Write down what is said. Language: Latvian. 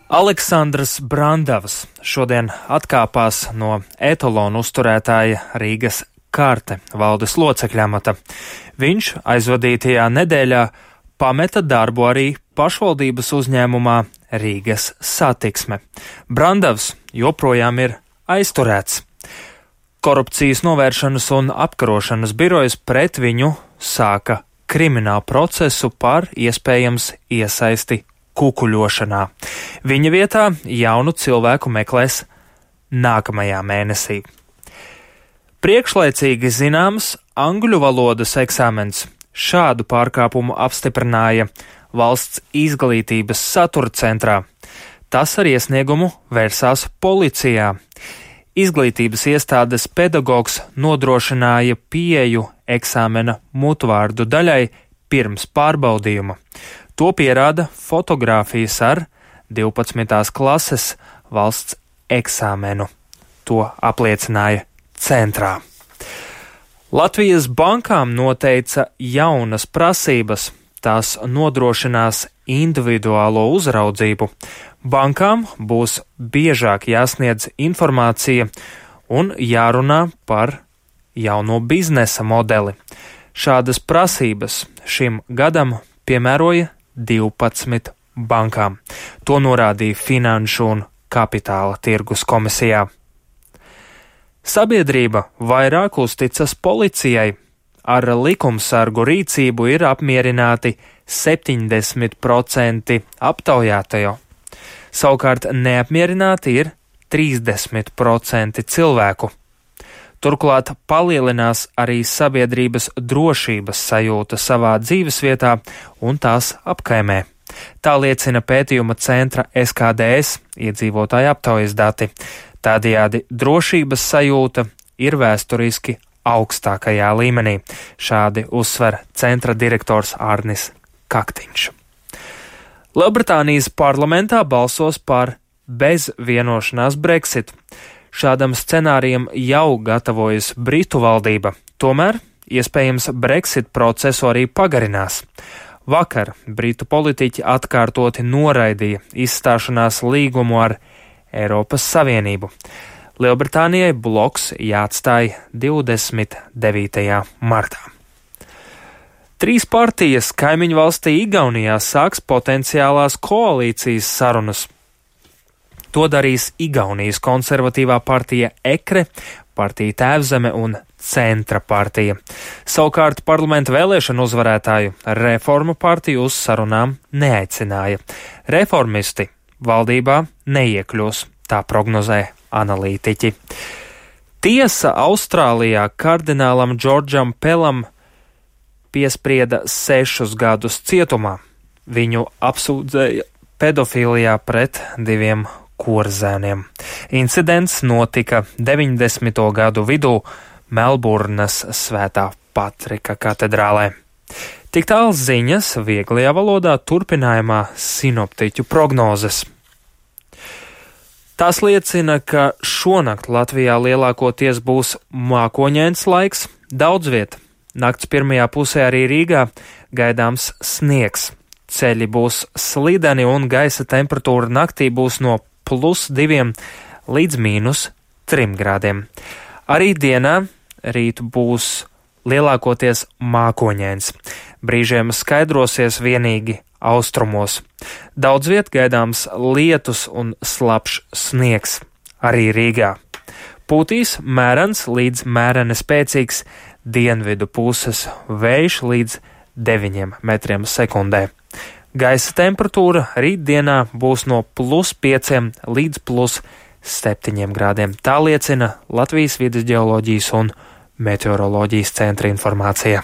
Aleksandrs Brandavs šodien atkāpās no etalonu uzturētāja Rīgas Karte valdes locekļa amata. Viņš aizvadītajā nedēļā pameta darbu arī pašvaldības uzņēmumā Rīgas Satiksme. Brandavs joprojām ir aizturēts. Korupcijas novēršanas un apkarošanas birojas pret viņu sāka kriminālu procesu par iespējams iesaisti kukuļošanā. Viņa vietā jaunu cilvēku meklēs nākamajā mēnesī. Priekšlaicīgi zināms angļu valodas eksāmens. Šādu pārkāpumu apstiprināja Valsts izglītības satura centrā. Tas ar iesniegumu vērsās policijā. Izglītības iestādes pedagogs nodrošināja pieeju eksāmena mutvārdu daļai pirms pārbaudījuma. To pierāda fotogrāfijas ar 12. klases valsts eksāmenu. To apliecināja centrā. Latvijas bankām noteica jaunas prasības. Tās nodrošinās individuālo uzraudzību. Bankām būs biežāk jāsniedz informācija un jārunā par jauno biznesa modeli. Šādas prasības šim gadam piemēroja 12 bankām. To norādīja Finanšu un Kapitāla tirgus komisijā. Sabiedrība vairāk uzticas policijai. Ar likumsargu rīcību ir apmierināti 70% aptaujātajo. Savukārt neapmierināti ir 30% cilvēku. Turklāt palielinās arī sabiedrības drošības sajūta savā dzīvesvietā un tās apkaimē. Tā liecina pētījuma centra SKDS iedzīvotāju aptaujas dati. Tādējādi drošības sajūta ir vēsturiski augstākajā līmenī. Šādi uzsver centra direktors Arnis Kaktiņš. Lielbritānijas parlamentā balsos par bez vienošanās Brexit. Šādam scenārijam jau gatavojas Britu valdība, tomēr iespējams Brexit procesu arī pagarinās. Vakar Britu politiķi atkārtoti noraidīja izstāšanās līgumu ar Eiropas Savienību. Lielbritānijai bloks jāatstāj 29. martā. 3 partijas kaimiņu valstī Igaunijā sāks potenciālās koalīcijas sarunas. To darīs Igaunijas konservatīvā partija EKRE, partija Tēvzeme un Centra partija. Savukārt parlamenta vēlēšanu uzvarētāju Reformu partiju uz sarunām neaicināja. Reformisti valdībā neiekļūs, tā prognozē analītiķi. Tiesa Austrālijā kardinālam Džordžam Pelam piesprieda 6 gadus cietumā. Viņu apsūdzēja pedofilijā pret 2 korzēniem. Incidents notika 90. gadu vidū Melburnas Svētā Patrika katedrālē. Tik tālu ziņas vieglajā valodā, turpinājumā sinoptiķu prognozes. Tās liecina, ka šonakt Latvijā lielākoties būs mākoņains laiks, daudz viet. Nakts pirmajā pusē arī Rīgā gaidāms sniegs. Ceļi būs slideni un gaisa temperatūra naktī būs no +2 līdz -3 grādiem. Arī dienā rīt būs lielākoties mākoņains. Brīžiem skaidrosies vienīgi austrumos. Daudz viet gaidāms lietus un slapjš sniegs. Arī Rīgā. Pūtīs mērens līdz mēreni spēcīgs dienvidu puses vējš līdz 9 metriem sekundē. Gaisa temperatūra rītdienā būs no +5 līdz +7 grādiem. Tā liecina Latvijas vides ģeoloģijas un meteoroloģijas centra informācija.